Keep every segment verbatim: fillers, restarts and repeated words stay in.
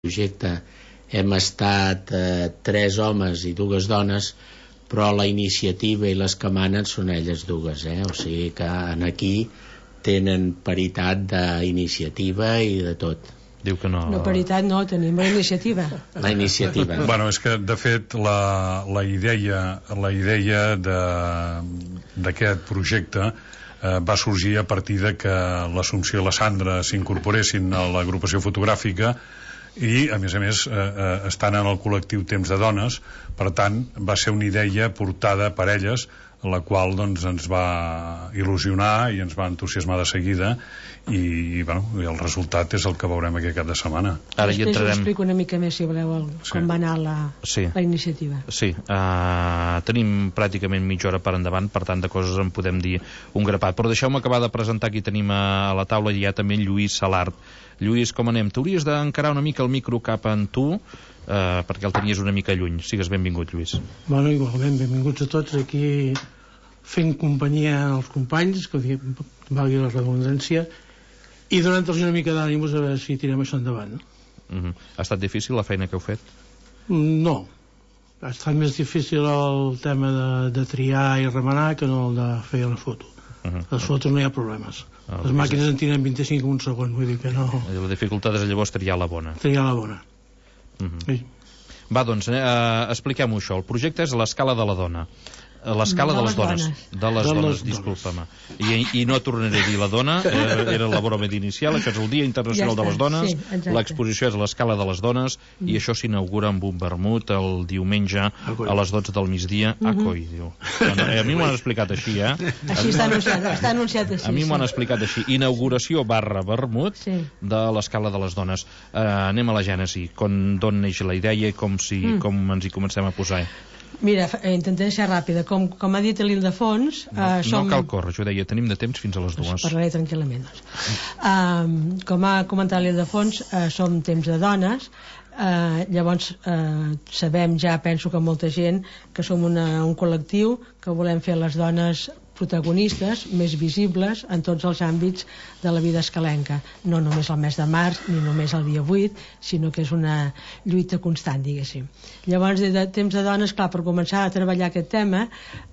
projecte hem estat eh, tres homes i dues dones, però la iniciativa i les que manen són elles dues, eh? O sigui que en aquí tenen paritat d'iniciativa i de tot. Diu que no... No, paritat no, tenim la iniciativa. La iniciativa. Bueno, és que, de fet, la, la idea, la idea d'aquest projecte eh, va sorgir a partir de que l'Assumpció i la Sandra s'incorporessin a l'agrupació fotogràfica i, a més a més, eh, eh, estan en el col·lectiu Temps de Dones. Per tant, va ser una idea portada per elles, la qual doncs, ens va il·lusionar i ens va entusiasmar de seguida i, i, bueno, i el resultat és el que veurem aquest cap de setmana. Ara hi Després entrarem... us explico una mica més, si voleu, el, Sí. com va anar la, Sí. la iniciativa. Sí, uh, tenim pràcticament mitja hora per endavant, per tant de coses en podem dir un grapat, però deixeu-me acabar de presentar qui tenim a la taula. Hi ha també en Lluís Salart. Lluís, com anem? T'hauries d'encarar una mica el micro cap en tu, Uh, perquè el tenies una mica lluny. Sigues benvingut, Lluís. Bueno, igualment, benvinguts a tots aquí fent companyia als companys, que valgui la redundància, i donant-los una mica d'ànims a veure si tirem això endavant, no? Uh-huh. Ha estat difícil la feina que heu fet? No, ha estat més difícil el tema de, de triar i remenar que no el de fer la foto. Uh-huh. Les fotos no hi ha problemes. Ah, Les màquines en tiren vint-i-cinc un segon, vull dir que no... La dificultat és llavors triar la bona. Triar la bona. Uh-huh. Sí. Va, doncs, eh, expliquem-ho això. El projecte és l'escala de la dona. L'escala de, De les les dones. dones. De les De dones, les disculpa-me. I, I no tornaré a dir la dona, eh, era la broma inicial. Això és el Dia Internacional Ja de les està, Dones. sí, exacte. L'exposició és l'escala de les dones mm. i això s'inaugura amb un vermut el diumenge a les dotze del migdia. Mm -hmm. A coi, diu. Bueno, eh, a mi m'ho han explicat així, eh? Així està anunciat, està anunciat així. A mi m'ho han sí. explicat així. Inauguració barra vermut Sí. de l'escala de les dones. Eh, anem a la gènesi. Com, d'on neix la idea i com, si, Mm. com ens hi comencem a posar. Mira, eh, intentaré ser ràpida. Com, com ha dit l'Ildefons... No, eh, som... no cal córrer, jo deia, tenim de temps fins a les dues. Doncs parlaré tranquil·lament. Doncs. Um, com ha comentat l'Ildefons, uh, som temps de dones. Uh, llavors uh, sabem ja, penso que molta gent, que som una, un col·lectiu que volem fer les dones protagonistes, més visibles en tots els àmbits de la vida escalenca, no només el mes de març ni només el dia vuit, sinó que és una lluita constant, diguéssim. Llavors, des de temps de dones, clar, per començar a treballar aquest tema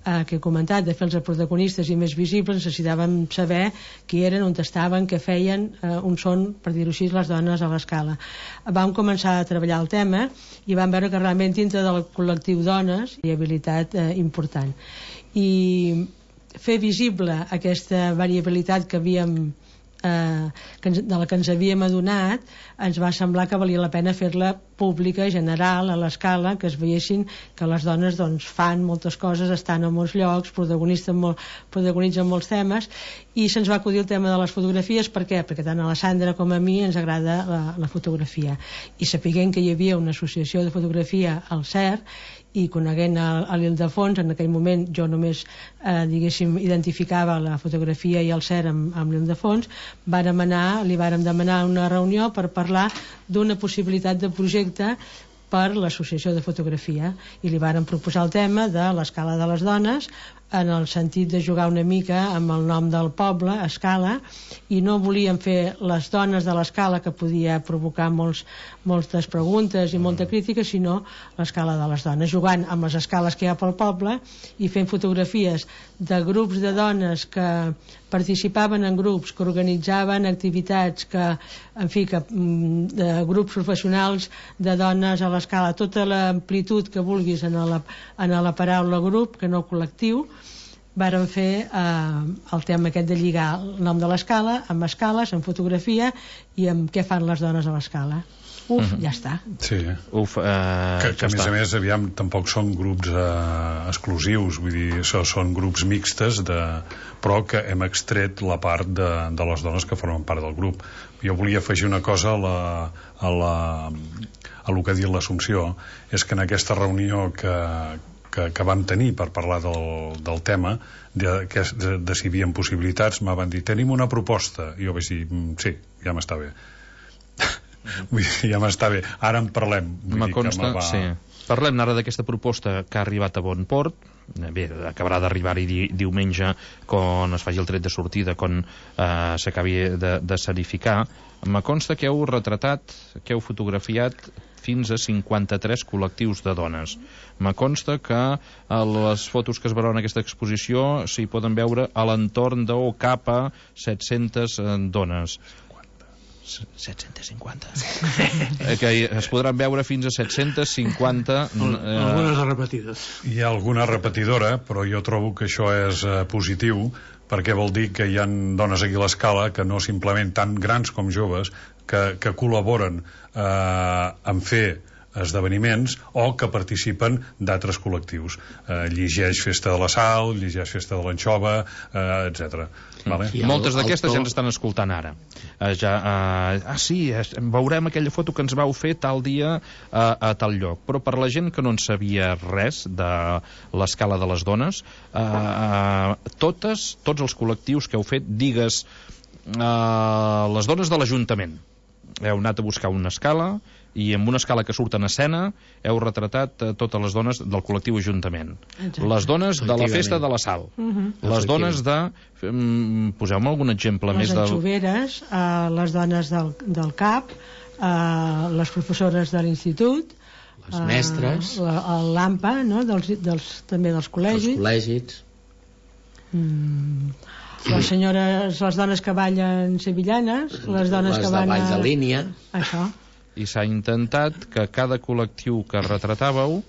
eh, que he comentat, de fer-los protagonistes i més visibles, necessitàvem saber qui eren, on estaven, què feien, eh, on són, per dir-ho així, les dones a l'escala. Vam començar a treballar el tema i vam veure que realment dintre del col·lectiu dones hi ha habilitat eh, important. I fer visible aquesta variabilitat que havíem eh, que ens, de la que ens havíem adonat, ens va semblar que valia la pena fer-la pública, general, a l'escala, que es veiessin que les dones doncs, fan moltes coses, estan a molts llocs, protagonitzen, molt, protagonitzen molts temes, i se'ns va acudir el tema de les fotografies. Per què? Perquè tant a la Sandra com a mi ens agrada la, la fotografia, i sapiguem que hi havia una associació de fotografia al C E R, i coneguent a, a l'Ildefons, en aquell moment jo només eh, diguéssim identificava la fotografia i el C E R amb, amb l'Ildefons, vàrem anar, li vàrem demanar una reunió per parlar d'una possibilitat de projecte per l'associació de fotografia, i li vàrem proposar el tema de l'escala de les dones, en el sentit de jugar una mica amb el nom del poble, escala, i no volíem fer les dones de l'escala, que podia provocar molts, moltes preguntes i molta crítica, sinó l'escala de les dones, jugant amb les escales que hi ha pel poble i fent fotografies de grups de dones que participaven en grups, que organitzaven activitats, que, en fi, que, de grups professionals de dones a l'escala, tota l'amplitud que vulguis en la, en la paraula grup, que no col·lectiu. Vàrem fer eh, el tema aquest de lligar el nom de l'escala amb escales, amb fotografia i amb què fan les dones a l'escala. Uf, uh-huh. Ja està. Sí. Uf, eh, que, que ja a més està. a més, aviam, tampoc són grups eh, exclusius, vull dir, això són grups mixtes, de, però que hem extret la part de, de les dones que formen part del grup. Jo volia afegir una cosa a la, a la, a lo que ha dit l'Assumpció, és que en aquesta reunió que, que, que vam tenir per parlar del, del tema, de, de, de, de si hi havia possibilitats, m'ha van dir, tenim una proposta, i jo vaig dir, sí, ja m'està bé. Vull dir, ja m'està bé, ara en parlem. Vull Me dir consta, que va... sí. Parlem ara d'aquesta proposta que ha arribat a bon port. Bé, acabarà d'arribar-hi di diumenge quan es faci el tret de sortida, quan eh, s'acabi de, de serificar. Me consta que heu retratat, que heu fotografiat fins a cinquanta-tres col·lectius de dones. Me consta que a les fotos que es veuran en aquesta exposició s'hi poden veure a l'entorn de o cap a set-centes dones. set-cents cinquanta. Que es podran veure fins a set-cents cinquanta... Eh... Algunes repetides. Hi ha alguna repetidora, però jo trobo que això és eh, positiu, perquè vol dir que hi ha dones aquí a l'escala que no simplement tan grans com joves, que, que col·laboren eh, en fer esdeveniments o que participen d'altres col·lectius. Eh, llegeix Festa de la Sal, llegeix Festa de l'Anxova, eh, etcètera. Vale? Sí, moltes d'aquestes ja ens estan escoltant ara. Uh, ja, uh, ah, sí, veurem aquella foto que ens vau fer tal dia uh, a tal lloc. Però per la gent que no en sabia res de l'escala de les dones, uh, uh, totes, tots els col·lectius que heu fet, digues, uh, les dones de l'Ajuntament. Heu anat a buscar una escala i amb una escala que surt en escena heu retratat uh, totes les dones del col·lectiu Ajuntament. Exacte. Les dones de la Festa de la Sal. Uh -huh. Les dones de... Um, poseu-me algun exemple les més del... Les anxoveres, uh, les dones del, del C A P, uh, les professores de l'institut, les mestres, uh, la, el l'AMPA, no? dels, dels, també dels col·legis. Els col·legis. Mm, les senyores, les dones que ballen sevillanes, les dones les que van a... a... Les de ball de línia. Això. I s'ha intentat que cada col·lectiu que retratàveu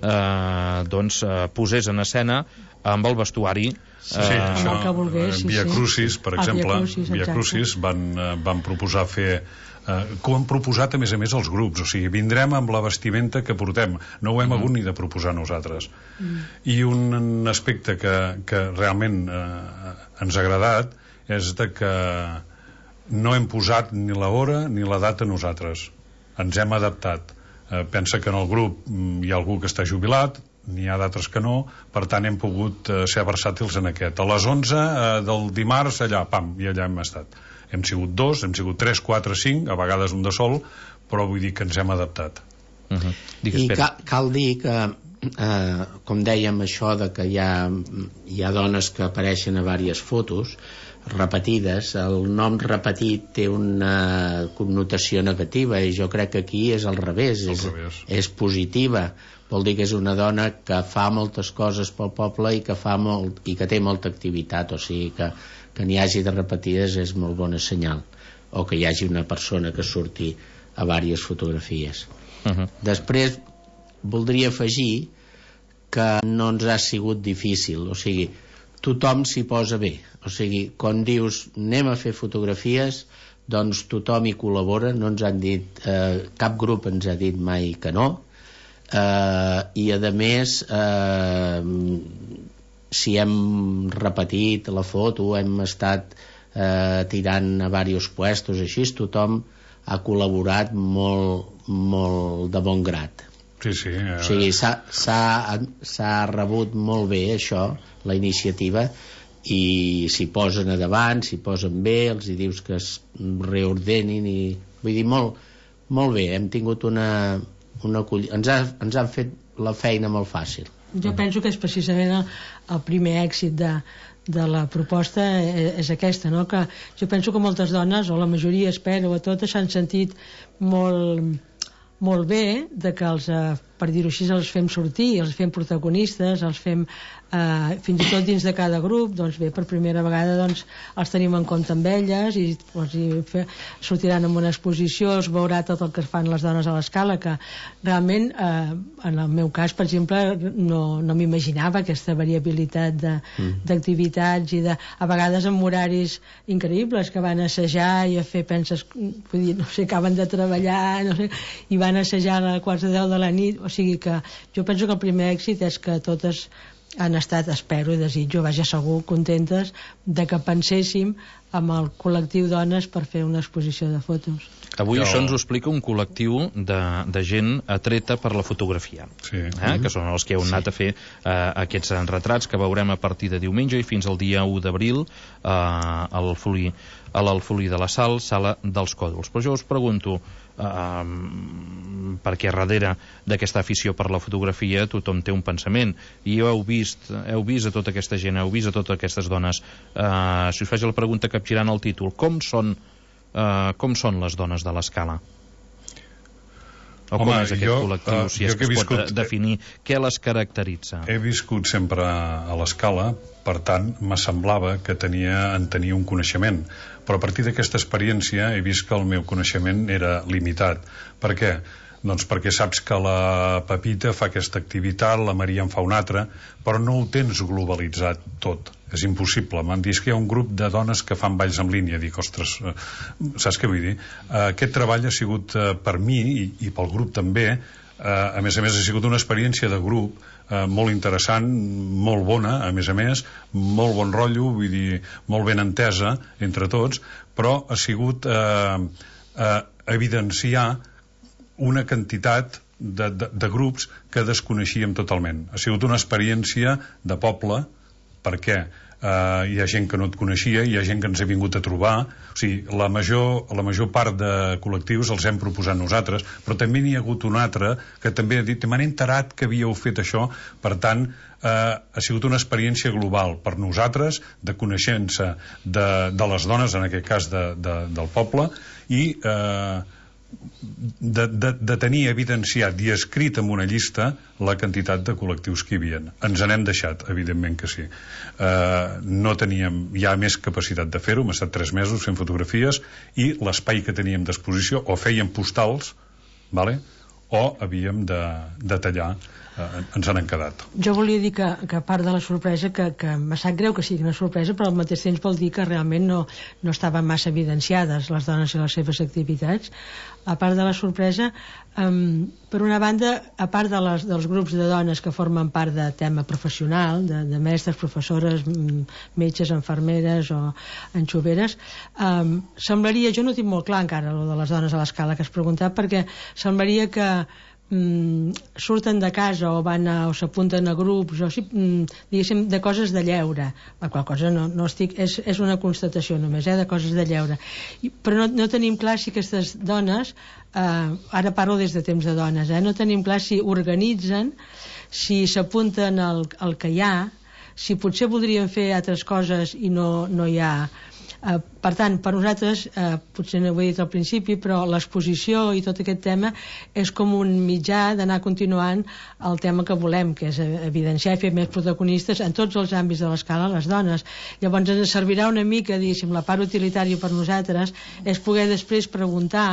eh, doncs eh, posés en escena amb el vestuari eh, sí, això, amb el que volgués, sí, Via sí. Crucis, per ah, exemple, Via Crucis, Via Crucis van, eh, van proposar fer eh, com han proposat a més a més els grups, o sigui, vindrem amb la vestimenta que portem, no ho hem mm. hagut ni de proposar nosaltres. Mm. I un aspecte que, que realment eh, ens ha agradat és de que no hem posat ni l'hora ni la data nosaltres, ens hem adaptat. Eh, pensa que en el grup hi ha algú que està jubilat, n'hi ha d'altres que no, per tant hem pogut eh, ser versàtils en aquest. A les onze eh, del dimarts allà, pam, i allà hem estat. Hem sigut dos, hem sigut tres, quatre, cinc, a vegades un de sol, però vull dir que ens hem adaptat. Uh -huh. Digues, I ca cal dir que eh, com dèiem això de que hi ha, hi ha dones que apareixen a diverses fotos repetides, el nom repetit té una connotació negativa i jo crec que aquí és al revés, és, és positiva, vol dir que és una dona que fa moltes coses pel poble i que, fa molt, i que té molta activitat, o sigui que, que n'hi hagi de repetides és molt bona senyal, o que hi hagi una persona que surti a diverses fotografies. Uh -huh. Després voldria afegir que no ens ha sigut difícil, o sigui, tothom s'hi posa bé, o sigui, quan dius anem a fer fotografies, doncs tothom hi col·labora, no ens han dit, eh, cap grup ens ha dit mai que no, eh, i a més eh, si hem repetit la foto, hem estat eh, tirant a diversos puestos, així tothom ha col·laborat molt, molt de bon grat. Sí, sí. Eh... O sigui, s'ha rebut molt bé això, la iniciativa, i s'hi posen a davant, s'hi posen bé, els hi dius que es reordenin i... Vull dir, molt, molt bé, hem tingut una... una ens, ha, ens han fet la feina molt fàcil. Jo penso que és precisament el, el primer èxit de, de la proposta és, és aquesta, no? Que jo penso que moltes dones, o la majoria espero, a totes s'han sentit molt... molt bé de que els, eh, per dir-ho així, els fem sortir, els fem protagonistes, els fem eh, fins i tot dins de cada grup, doncs bé, per primera vegada doncs, els tenim en compte amb elles i, doncs, i fe, sortiran en una exposició, es veurà tot el que fan les dones a l'escala, que realment eh, en el meu cas, per exemple, no, no m'imaginava aquesta variabilitat d'activitats mm. i de, a vegades amb horaris increïbles, que van assajar i a fer, penses, vull dir, no sé, acaben de treballar, no sé, i van assajar a quarts de deu de la nit, o sigui que jo penso que el primer èxit és que totes han estat, espero i desitjo, vaja, segur, contentes de que penséssim amb el col·lectiu dones per fer una exposició de fotos. Avui jo... això ens ho explica un col·lectiu de, de gent atreta per la fotografia, sí. eh? Que són els que heu anat sí. a fer eh, aquests retrats que veurem a partir de diumenge i fins al dia u d'abril eh, al Folí, a l'Alfolí de la Sal, Sala dels Còdols. Però jo us pregunto, Uh, perquè darrere d'aquesta afició per la fotografia tothom té un pensament, i heu vist heu vist a tota aquesta gent, heu vist a totes aquestes dones. Uh, si us faig la pregunta capgirant el títol, com són uh, com són les dones de l'Escala? O Home, com és aquest jo, col·lectiu, uh, si és que que es viscut, pot definir què les caracteritza? He viscut sempre a l'Escala, per tant, me semblava que tenia, en tenia un coneixement, però a partir d'aquesta experiència he vist que el meu coneixement era limitat. Per què? Doncs perquè saps que la Pepita fa aquesta activitat, la Maria en fa una altra, però no ho tens globalitzat tot. És impossible. M'han dit que hi ha un grup de dones que fan balls en línia. Dic, ostres, eh, saps què vull dir? Eh, aquest treball ha sigut eh, per mi i, i pel grup també, eh, a més a més ha sigut una experiència de grup eh, molt interessant, molt bona, a més a més, molt bon rotllo, vull dir, molt ben entesa entre tots, però ha sigut eh, eh, evidenciar una quantitat de, de, de grups que desconeixíem totalment. Ha sigut una experiència de poble, perquè eh, hi ha gent que no et coneixia, hi ha gent que ens ha vingut a trobar, o sigui, la major, la major part de col·lectius els hem proposat nosaltres, però també n'hi ha hagut un altre que també ha dit, m'han enterat que havíeu fet això, per tant, eh, ha sigut una experiència global per nosaltres, de coneixença de, de les dones, en aquest cas de, de, del poble, i eh, De, de, de tenir evidenciat i escrit en una llista la quantitat de col·lectius que hi havia. Ens n'hem deixat, evidentment que sí. Eh, no teníem ja més capacitat de fer-ho, hem estat tres mesos fent fotografies i l'espai que teníem d'exposició o fèiem postals, vale? O havíem de, de tallar, eh, ens n'han quedat. Jo volia dir que, que a part de la sorpresa, que, que me sap greu que sigui una sorpresa, però al mateix temps vol dir que realment no, no estaven massa evidenciades les dones i les seves activitats. A part de la sorpresa, um, per una banda, a part de les, dels grups de dones que formen part de tema professional, de, de mestres, professores, metges, infermeres o anxoveres, um, semblaria, jo no tinc molt clar encara el de les dones a l'Escala que has preguntat, perquè semblaria que Mm, surten de casa o van a, o s'apunten a grups o, mm, diguéssim, de coses de lleure, la qual cosa no, no estic, és, és una constatació només, eh, de coses de lleure. I, però no, no tenim clar si aquestes dones, eh, ara parlo des de temps de dones, eh, no tenim clar si organitzen, si s'apunten al, al que hi ha, si potser voldrien fer altres coses i no, no hi ha. Uh, per tant, per nosaltres, uh, potser no ho he dit al principi, però l'exposició i tot aquest tema és com un mitjà d'anar continuant el tema que volem, que és evidenciar i fer més protagonistes en tots els àmbits de l'Escala les dones. Llavors ens servirà una mica, diguéssim, la part utilitària per nosaltres és poder després preguntar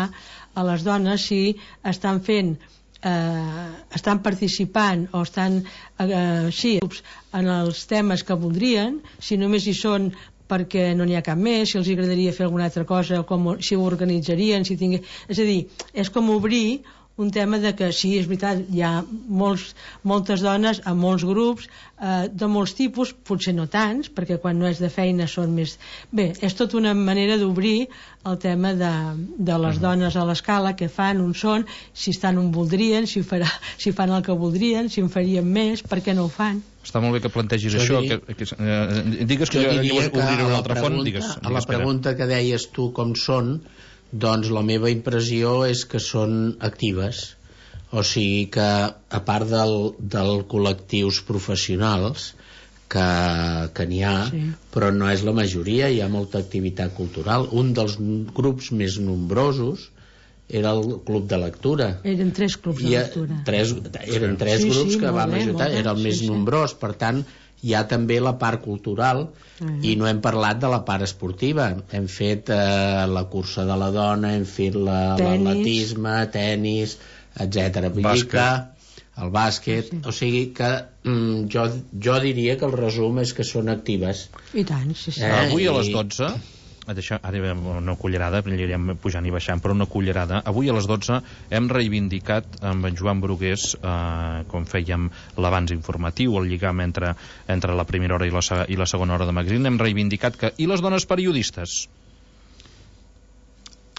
a les dones si estan fent eh, estan participant o estan eh, sí, en els temes que voldrien, si només hi són perquè no n'hi ha cap més, si els agradaria fer alguna altra cosa, com, si ho organitzarien, si tingués... És a dir, és com obrir un tema de que sí, és veritat, hi ha molts, moltes dones a molts grups, eh, de molts tipus, potser no tants, perquè quan no és de feina són més... Bé, és tota una manera d'obrir el tema de, de les dones a l'Escala, què fan, on són, si estan on voldrien, si, farà, si fan el que voldrien, si en farien més, per què no ho fan? Està molt bé que plantegis jo això. Dir... Que, que, eh, digues que jo, jo obriré una altra font. Digues, digues, a la pregunta que deies tu com són, doncs la meva impressió és que són actives. O sigui que, a part del, del col·lectius professionals, que, que n'hi ha, sí, però no és la majoria, hi ha molta activitat cultural. Un dels grups més nombrosos era el club de lectura. Eren tres clubs de lectura. Tres, eren tres sí, grups sí, que vam ajudar, era el més sí, nombrós, per tant hi ha també la part cultural uh -huh. i no hem parlat de la part esportiva. Hem fet eh, la cursa de la dona, hem fet l'atletisme, tenis, etcètera. Vull dir que el bàsquet, sí, o sigui que mm, jo, jo diria que el resum és que són actives. I tant, sí, sí. Eh? Avui a les dotze... Deixa, ara una cullerada, anirem pujant i baixant, però una cullerada. Avui a les dotze hem reivindicat amb en Joan Brugués, eh, com fèiem l'abans informatiu, el lligam entre, entre la primera hora i la, i la segona hora de magazine, hem reivindicat que... I les dones periodistes?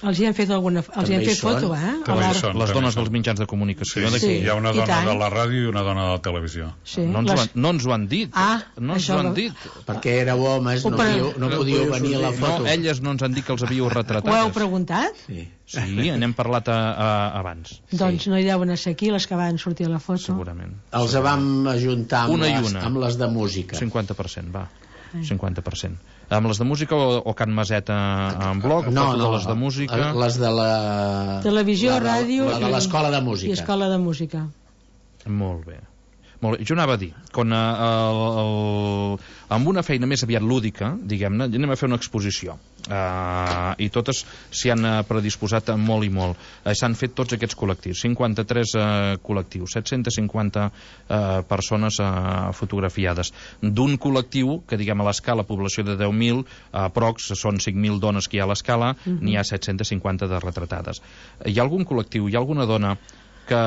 Els hi han fet alguna... Els hi han fet foto, eh? També hi són. Les dones dels mitjans de comunicació. Sí, sí. Hi ha una dona de la ràdio i una dona de la televisió. Sí, no, ens les... ho han, no ens ho han dit. Ah, no ens ho han dit. Perquè éreu homes, no, podíeu, no podíeu venir a la foto. No, elles no ens han dit que els havíeu retratades. Ho heu preguntat? Sí. Sí, n'hem parlat a, a, abans. Doncs no hi deuen ser aquí les que van sortir a la foto. Segurament. Els vam ajuntar amb, una i les, una. amb les de música. cinquanta per cent, va. cinquanta per cent. Amb les de música o, o Can Maseta en bloc? No, no, les de música? Les de la... Televisió, la de, ràdio... La de l'escola de música. I escola de música. Molt bé. Molt bé. Jo anava a dir, quan, uh, el, el, amb una feina més aviat lúdica, diguem-ne, anem a fer una exposició. Uh, I totes s'hi han predisposat molt i molt. Uh, S'han fet tots aquests col·lectius, cinquanta-tres uh, col·lectius, set-cents cinquanta uh, persones uh, fotografiades. D'un col·lectiu que, diguem, a l'escala, població de deu mil, uh, procs, són cinc mil dones que hi ha a l'escala, uh -huh. N'hi ha set-cents cinquanta de retratades. Uh, hi ha algun col·lectiu, hi ha alguna dona que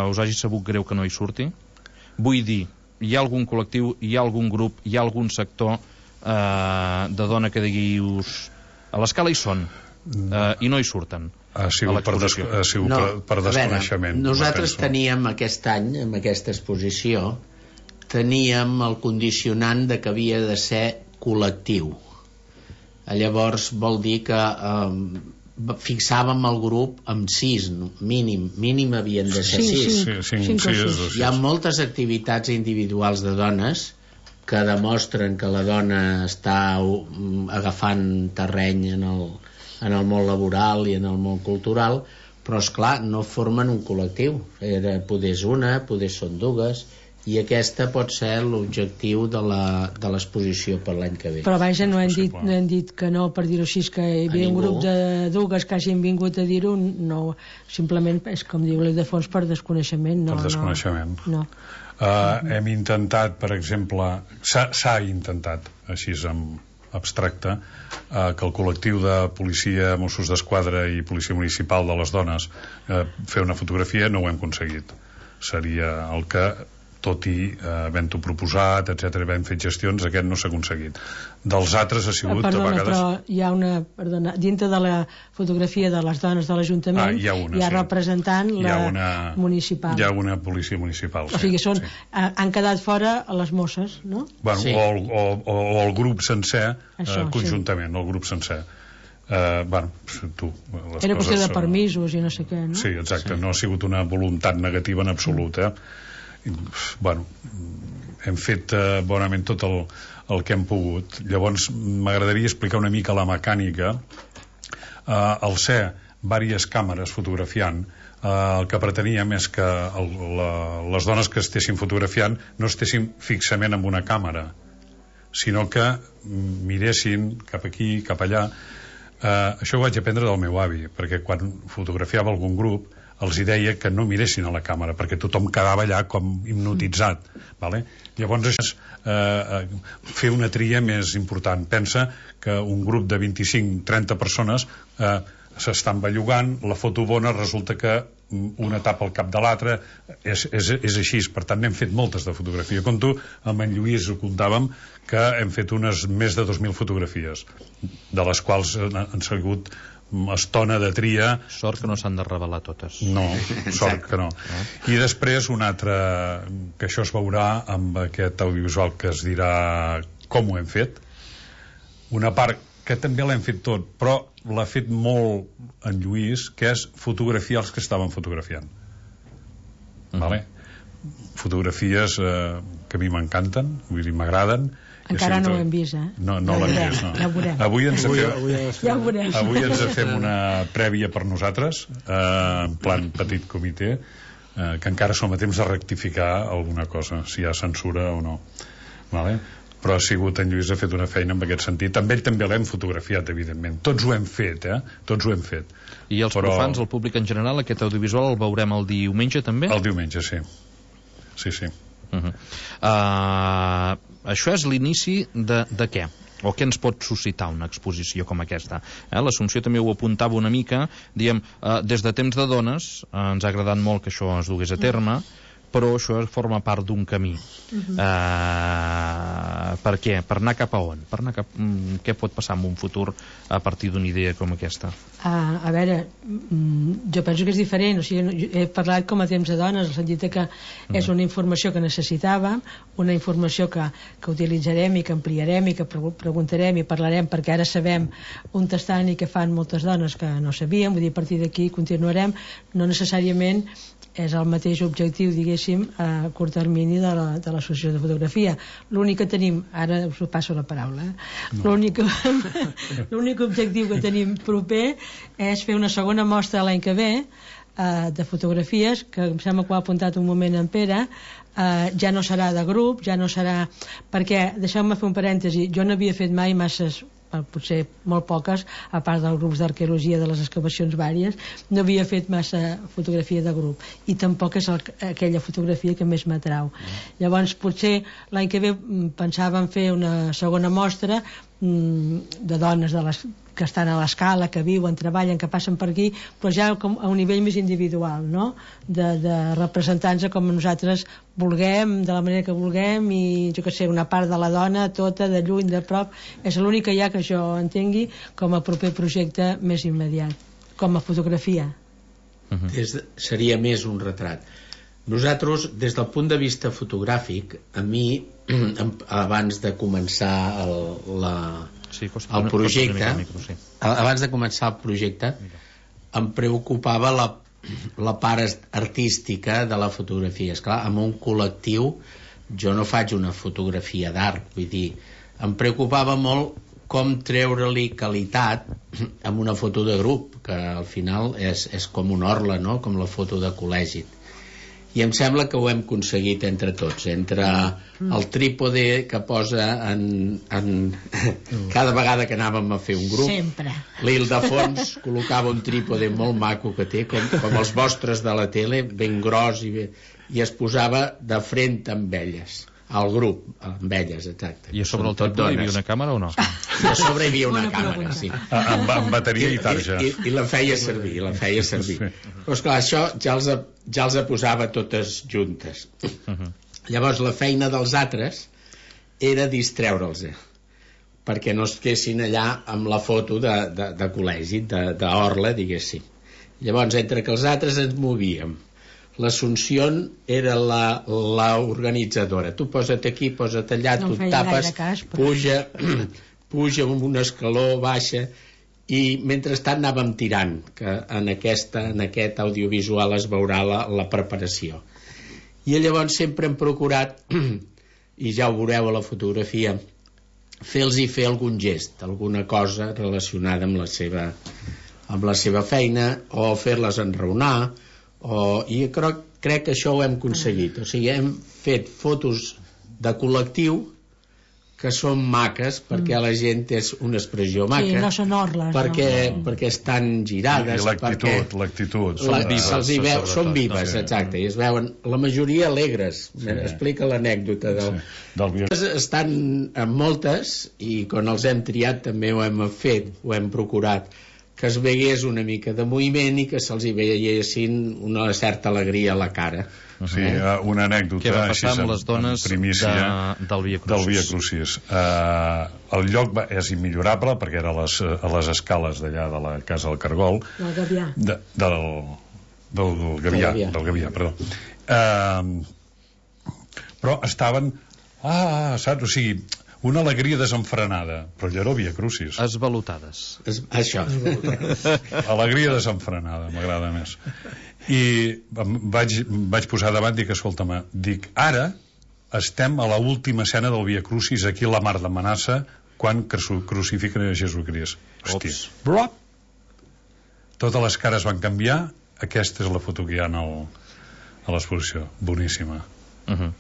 us hagi sabut greu que no hi surti? Vull dir, hi ha algun col·lectiu, hi ha algun grup, hi ha algun sector eh, de dona que diguius a l'escala hi són eh, i no hi surten. Ha sigut, per, des, ha sigut no, per, per desconeixement. Veure, nosaltres teníem aquest any, amb aquesta exposició, teníem el condicionant de que havia de ser col·lectiu. Llavors vol dir que eh, fixàvem el grup amb sis, mínim, mínim havien de ser sí, sis. Sí, sí, sí, sí, sí. Hi ha moltes activitats individuals de dones que demostren que la dona està agafant terreny en el, en el món laboral i en el món cultural, però és clar, no formen un col·lectiu. Era, poder és una, poder són dues, i aquesta pot ser l'objectiu de l'exposició per l'any que ve. Però vaja, no hem dit, no hem dit que no, per dir-ho així, que hi havia un grup de dues que hagin vingut a dir-ho, no, simplement és com diu l'Ildefons, per desconeixement. No, per desconeixement. No. Uh, hem intentat, per exemple, s'ha intentat, així en abstracte, uh, que el col·lectiu de policia, Mossos d'Esquadra i policia municipal de les dones uh, fer una fotografia, no ho hem aconseguit. Seria el que tot i eh, havent-ho proposat, etcètera, havent fet gestions, aquest no s'ha aconseguit. Dels altres ha sigut perdona, a vegades... Però hi ha una... Perdona, dintre de la fotografia de les dones de l'Ajuntament ah, hi ha, una, hi ha sí. representant la hi ha una, municipal. Hi ha una policia municipal, o sigui, són, sí. eh, han quedat fora les Mosses, no? Bueno, sí. o, o, o, o el grup sencer, Això, eh, conjuntament, sí. El grup sencer. Uh, bueno, tu, les Era coses, qüestió de permisos i no sé què, no? Sí, exacte, sí. No ha sigut una voluntat negativa en absolut, eh? Bueno, hem fet eh, bonament tot el, el que hem pogut. Llavors m'agradaria explicar una mica la mecànica. eh, al ser diverses càmeres fotografiant, eh, el que preteníem és que el, la, les dones que estessin fotografiant no estessin fixament amb una càmera, sinó que miressin cap aquí, cap allà. eh, això ho vaig aprendre del meu avi, perquè quan fotografiava algun grup els hi deia que no miressin a la càmera perquè tothom quedava allà com hipnotitzat, vale? Llavors això és eh, fer una tria més important. Pensa que un grup de vint-i-cinc trenta persones eh, s'estan bellugant, la foto bona resulta que una tapa al cap de l'altra, és, és, és així. Per tant n'hem fet moltes de fotografia. Com tu, amb en Lluís ho comptàvem que hem fet unes més de dos mil fotografies, de les quals han sigut estona de tria. Sort que no s'han de revelar totes. No, sort que no. I després un altre, que això es veurà amb aquest audiovisual que es dirà com ho hem fet. Una part que també l'hem fet tot, però l'ha fet molt en Lluís, que és fotografiar els que estaven fotografiant. Uh-huh. Vale? Fotografies eh, que a mi m'encanten, vull dir, m'agraden. Encara no ho hem vist, eh? No, no ja l'hem vist, no. Ja ho veurem. Avui ens avui, fem, avui, ja ho veurem. avui ens fem una prèvia per nosaltres, eh, en plan petit comitè, eh, que encara som a temps de rectificar alguna cosa, si hi ha censura o no. Vale? Però ha sigut, en Lluís ha fet una feina en aquest sentit. Amb ell també l'hem fotografiat, evidentment. Tots ho hem fet, eh? Tots ho hem fet. I els Però... profans, el públic en general, aquest audiovisual el veurem el diumenge també? El diumenge, sí. Sí, sí. Uh -huh. uh, això és l'inici de, de què? O què ens pot suscitar una exposició com aquesta? Eh, L'Assumpció també ho apuntava una mica, diem, uh, des de temps de dones, uh, ens ha agradat molt que això es dugués a terme, però això forma part d'un camí. Uh-huh. Uh, per què? Per anar cap a on? Per anar cap... Mm, què pot passar en un futur a partir d'una idea com aquesta? Uh, a veure, mm, jo penso que és diferent, o sigui, he parlat com a temps de dones, en el sentit que mm. és una informació que necessitàvem, una informació que, que utilitzarem i que ampliarem i que preguntarem i parlarem, perquè ara sabem on estan i què fan moltes dones que no sabíem, vull dir, a partir d'aquí continuarem, no necessàriament és el mateix objectiu, diguéssim, a curt termini de la, de l'associació de fotografia. L'únic que tenim, ara us passo la paraula, eh? no. l'únic, l'únic objectiu que tenim proper és fer una segona mostra l'any que ve eh, de fotografies, que em sembla que ho ha apuntat un moment en Pere, eh, ja no serà de grup, ja no serà... Perquè, deixeu-me fer un parèntesi, jo no havia fet mai masses, potser molt poques, a part dels grups d'arqueologia de les excavacions vàries, no havia fet massa fotografia de grup i tampoc és el, aquella fotografia que més m'atrau. Mm. Llavors potser l'any que ve pensàvem fer una segona mostra mm, de dones de les que estan a l'escala, que viuen, treballen, que passen per aquí, però ja com a un nivell més individual, no? De, de representar-nos com nosaltres vulguem, de la manera que vulguem, i jo que sé, una part de la dona, tota, de lluny, de prop, és l'únic que hi ha que jo entengui com a proper projecte més immediat, com a fotografia. Uh-huh. Des de, seria més un retrat. Nosaltres, des del punt de vista fotogràfic, a mi, abans de començar el, la... Sí, el projecte micro, sí. abans de començar el projecte Mira. em preocupava la, la part artística de la fotografia. Esclar, amb un col·lectiu jo no faig una fotografia d'art, vull dir, em preocupava molt com treure-li qualitat amb una foto de grup, que al final és, és com una orla, no? Com la foto de col·legi. I em sembla que ho hem aconseguit entre tots, entre el trípode que posa en, en cada vegada que anàvem a fer un grup. Sempre. L'Ildefons col·locava un trípode molt maco que té, com, com els vostres de la tele, ben gros, i, bé, i es posava de front amb elles, al grup, amb elles, exacte. I a sobre el trípode hi havia una càmera o no? I a sobre hi havia una càmera, sí. Amb, amb bateria i tarja. I, i, i la feia servir, la feia servir. Sí. Però esclar, això ja els, ja els posava totes juntes. Uh-huh. Llavors la feina dels altres era distreure'ls, perquè no es quessin allà amb la foto de, de, de col·legi, d'orla, diguéssim. Llavors, entre que els altres ens movíem, l'Assumpció era la, la organitzadora. Tu posa't aquí, posa't allà, no tu tapes, cas, però... puja, puja amb un escaló, baixa, i mentrestant anàvem tirant, que en, aquesta, en aquest audiovisual es veurà la, la preparació. I llavors sempre hem procurat, i ja ho veureu a la fotografia, fer-los fer algun gest, alguna cosa relacionada amb la seva, amb la seva feina, o fer-les enraonar, o, i crec, crec que això ho hem aconseguit. O sigui, hem fet fotos de col·lectiu que són maques, perquè mm. la gent és una expressió maca. Sí, no són orles. Perquè, no. perquè estan girades. I l'actitud, l'actitud. Són vives. Veu, són vives, exacte. I es veuen, la majoria alegres. Sí. Explica l'anècdota del... Sí. del... Estan en moltes, i quan els hem triat també ho hem fet, ho hem procurat, que es vegués una mica de moviment i que se'ls hi veiessin una certa alegria a la cara. Sí, eh? Una anècdota. Què va passar amb les dones de, del Via Crucis? Del Via Crucis. Uh, el lloc va, és immillorable perquè era a les, a les escales d'allà de la Casa del Cargol. Del Gavià. De, del, del, del Gavià, del Gavià, perdó. Uh, però estaven... Ah, saps? O sigui... una alegria desenfrenada, però allò era el Via Crucis. Esvalotades. Es, això. Alegria desenfrenada, m'agrada més. I vaig, vaig posar davant, dic, escolta'm, dic, ara estem a la última escena del Via Crucis, aquí a la Mar de Manassa, quan crucifiquen a Jesucrist. Hòstia. Blop! Totes les cares van canviar, aquesta és la foto que hi ha el, a l'exposició. Boníssima. Uh-huh.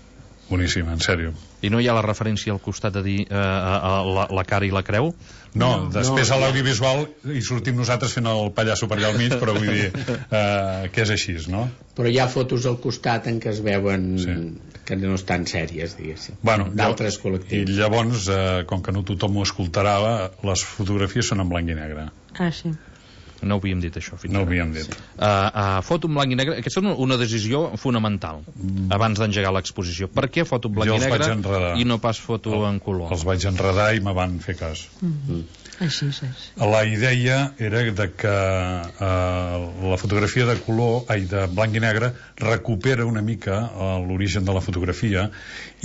Boníssima, en sèrio. I no hi ha la referència al costat de dir eh, a, a la, la cara i la creu? No, no després no, a l'audiovisual hi sortim nosaltres fent el pallasso per allà al mig, però vull dir eh, que és així, no? Però hi ha fotos al costat en què es veuen sí. que no estan sèries, diguéssim, bueno, d'altres col·lectius. I llavors, eh, com que no tothom ho escoltarà, les fotografies són en blanc i negre. Ah, sí. No ho havíem dit, això, fins No ho ara. havíem dit. Uh, uh, foto en blanc i negre, aquesta és una decisió fonamental, mm. abans d'engegar l'exposició. Per què foto en blanc Jo i els negre vaig enredar. i no pas foto El, en color? Els vaig enredar i me van fer cas. Mm-hmm. Així és. La idea era de que eh, la fotografia de color, ai, de blanc i negre, recupera una mica eh, l'origen de la fotografia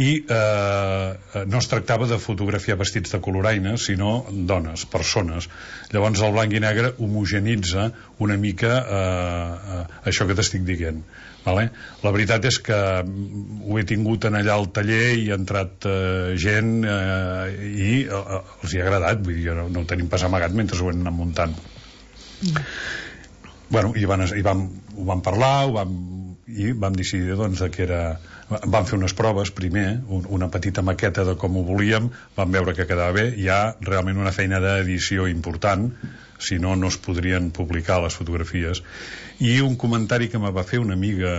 i eh, no es tractava de fotografiar vestits de coloraines, sinó dones, persones. Llavors el blanc i negre homogenitza una mica eh, eh, això que t'estic dient. Vale? La veritat és que ho he tingut en allà al taller i ha entrat eh, gent eh, i eh, els hi ha agradat, vull dir, no, no ho tenim pas amagat mentre ho hem anat muntant. Mm. Bueno, i, van, i vam, ho vam parlar ho vam, i vam decidir doncs, que era... Vam fer unes proves primer, un, una petita maqueta de com ho volíem, vam veure que quedava bé, hi ha realment una feina d'edició important, si no, no es podrien publicar les fotografies. I un comentari que me va fer una amiga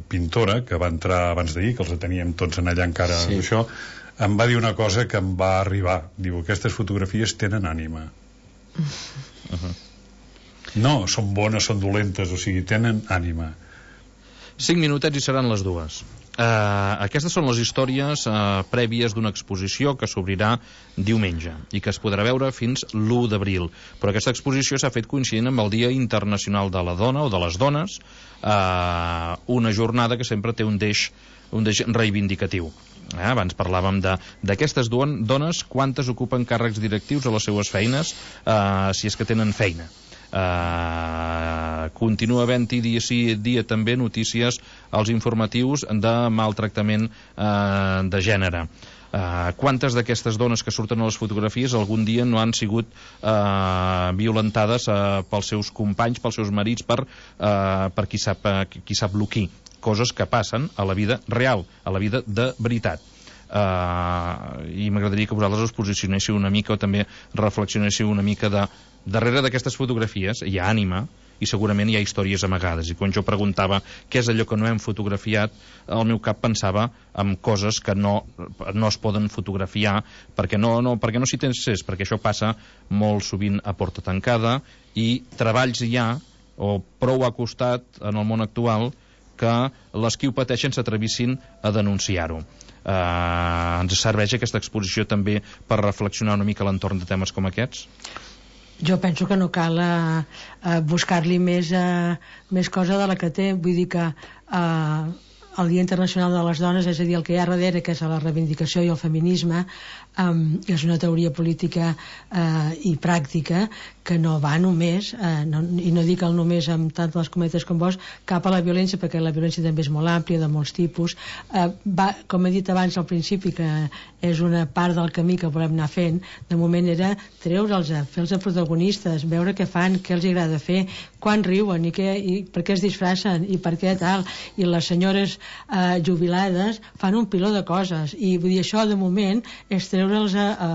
pintora, que va entrar abans d'ahir, que els teníem tots en allà encara, sí. Això, em va dir una cosa que em va arribar. Diu, aquestes fotografies tenen ànima. Uh-huh. No, són bones, són dolentes, o sigui, tenen ànima. Cinc minutets i seran les dues. Uh, aquestes són les històries uh, prèvies d'una exposició que s'obrirà diumenge i que es podrà veure fins l'u d'abril, però aquesta exposició s'ha fet coincidint amb el Dia Internacional de la Dona o de les Dones, uh, una jornada que sempre té un deix, un deix reivindicatiu. Eh, abans parlàvem d'aquestes dones, quantes ocupen càrrecs directius a les seues feines, uh, si és que tenen feina. Uh, continua havent-hi dia sí dia també notícies als informatius de maltractament uh, de gènere. Uh, quantes d'aquestes dones que surten a les fotografies algun dia no han sigut uh, violentades uh, pels seus companys, pels seus marits, per, uh, per qui sap, uh, qui sap lo qui. Coses que passen a la vida real, a la vida de veritat. Uh, i m'agradaria que vosaltres us posicionéssiu una mica o també reflexionéssiu una mica de darrere d'aquestes fotografies hi ha ànima i segurament hi ha històries amagades, i quan jo preguntava què és allò que no hem fotografiat, el meu cap pensava en coses que no, no es poden fotografiar perquè no, no, perquè no s'hi té accés, perquè això passa molt sovint a porta tancada i treballs hi ha o prou ha costat en el món actual que les qui ho pateixen s'atrevissin a denunciar-ho. Uh, ens serveix aquesta exposició també per reflexionar una mica a l'entorn de temes com aquests? Jo penso que no cal uh, uh, buscar-li més, uh, més cosa de la que té. Vull dir que uh, el Dia Internacional de les Dones, és a dir, el que hi ha darrere, que és la reivindicació i el feminisme, um, és una teoria política uh, i pràctica que no va només, uh, no, i no dic el només amb tant les cometes com vos, cap a la violència, perquè la violència també és molt àmplia, de molts tipus. Uh, va, com he dit abans al principi, que és una part del camí que volem anar fent, de moment era treure'ls, fer-los protagonistes, veure què fan, què els agrada fer, quan riuen i, què, i per què es disfracen i per què tal, i les senyores eh, jubilades fan un piló de coses, i vull dir, això de moment és treure'ls a, a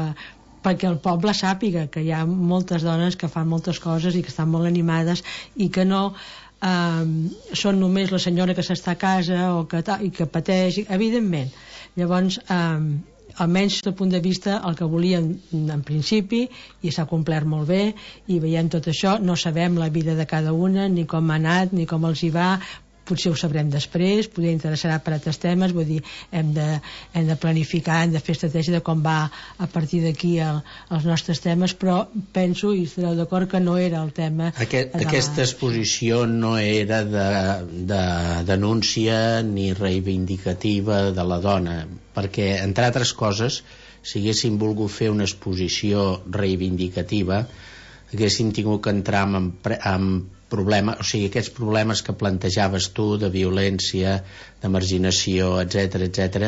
perquè el poble sàpiga que hi ha moltes dones que fan moltes coses i que estan molt animades i que no eh, són només la senyora que s'està a casa o que, i que pateix, evidentment. Llavors, eh, almenys des del punt de vista el que volíem en principi, i s'ha complert molt bé, i veiem tot això, no sabem la vida de cada una, ni com ha anat, ni com els hi va, potser ho sabrem després, potser interessarà per altres temes, vull dir, hem de, hem de planificar, hem de fer estratègia de com va a partir d'aquí el, els nostres temes, però penso, i estareu d'acord, que no era el tema. Aquest, de aquesta la... exposició no era de, de denúncia ni reivindicativa de la dona, perquè, entre altres coses, si haguéssim volgut fer una exposició reivindicativa, haguéssim tingut que entrar en, en problemes, o sigui, aquests problemes que plantejaves tu de violència, de marginació, etc etc,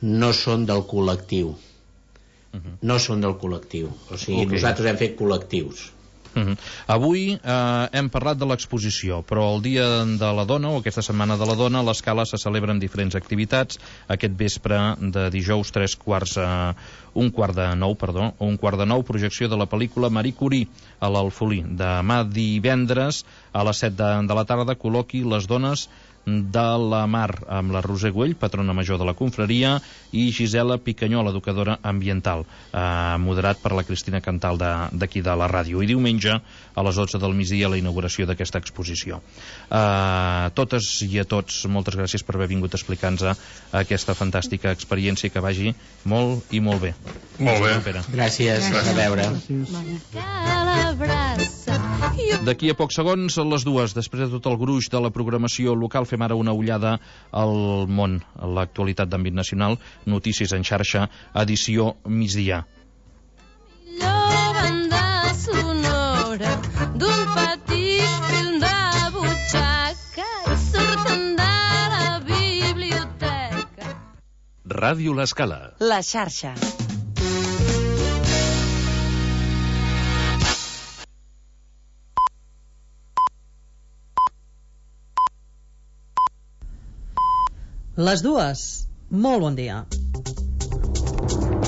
no són del col·lectiu. Uh-huh. No són del col·lectiu. O sigui, okay. Nosaltres hem fet col·lectius. Uh-huh. Avui eh, hem parlat de l'exposició, però el Dia de la Dona, o aquesta Setmana de la Dona, a l'Escala se celebren diferents activitats. Aquest vespre de dijous, tres quarts, eh, un quart de nou, perdó, un quart de nou, projecció de la pel·lícula Marie Curie a l'Alfolí. Demà divendres, a les set de, de la tarda, col·loqui Les dones de la Mar, amb la Roser Güell, patrona major de la confraria, i Gisela Picanyola, educadora ambiental, eh, moderat per la Cristina Cantal d'aquí de, de la ràdio. I diumenge, a les dotze del migdia, la inauguració d'aquesta exposició. A totes i a tots, moltes gràcies per haver vingut a explicar-nos aquesta fantàstica experiència, que vagi molt i molt bé. Molt bé. Gràcies, gràcies. A veure. D'aquí a pocs segons, a les dues, després de tot el gruix de la programació local, fem ara una ullada al món, a l'actualitat d'àmbit nacional, notícies en xarxa, edició migdia. Banda sonora d'un petit film de butxaca i surten de la biblioteca. Ràdio L'Escala. La xarxa. Les dues. Molt bon dia.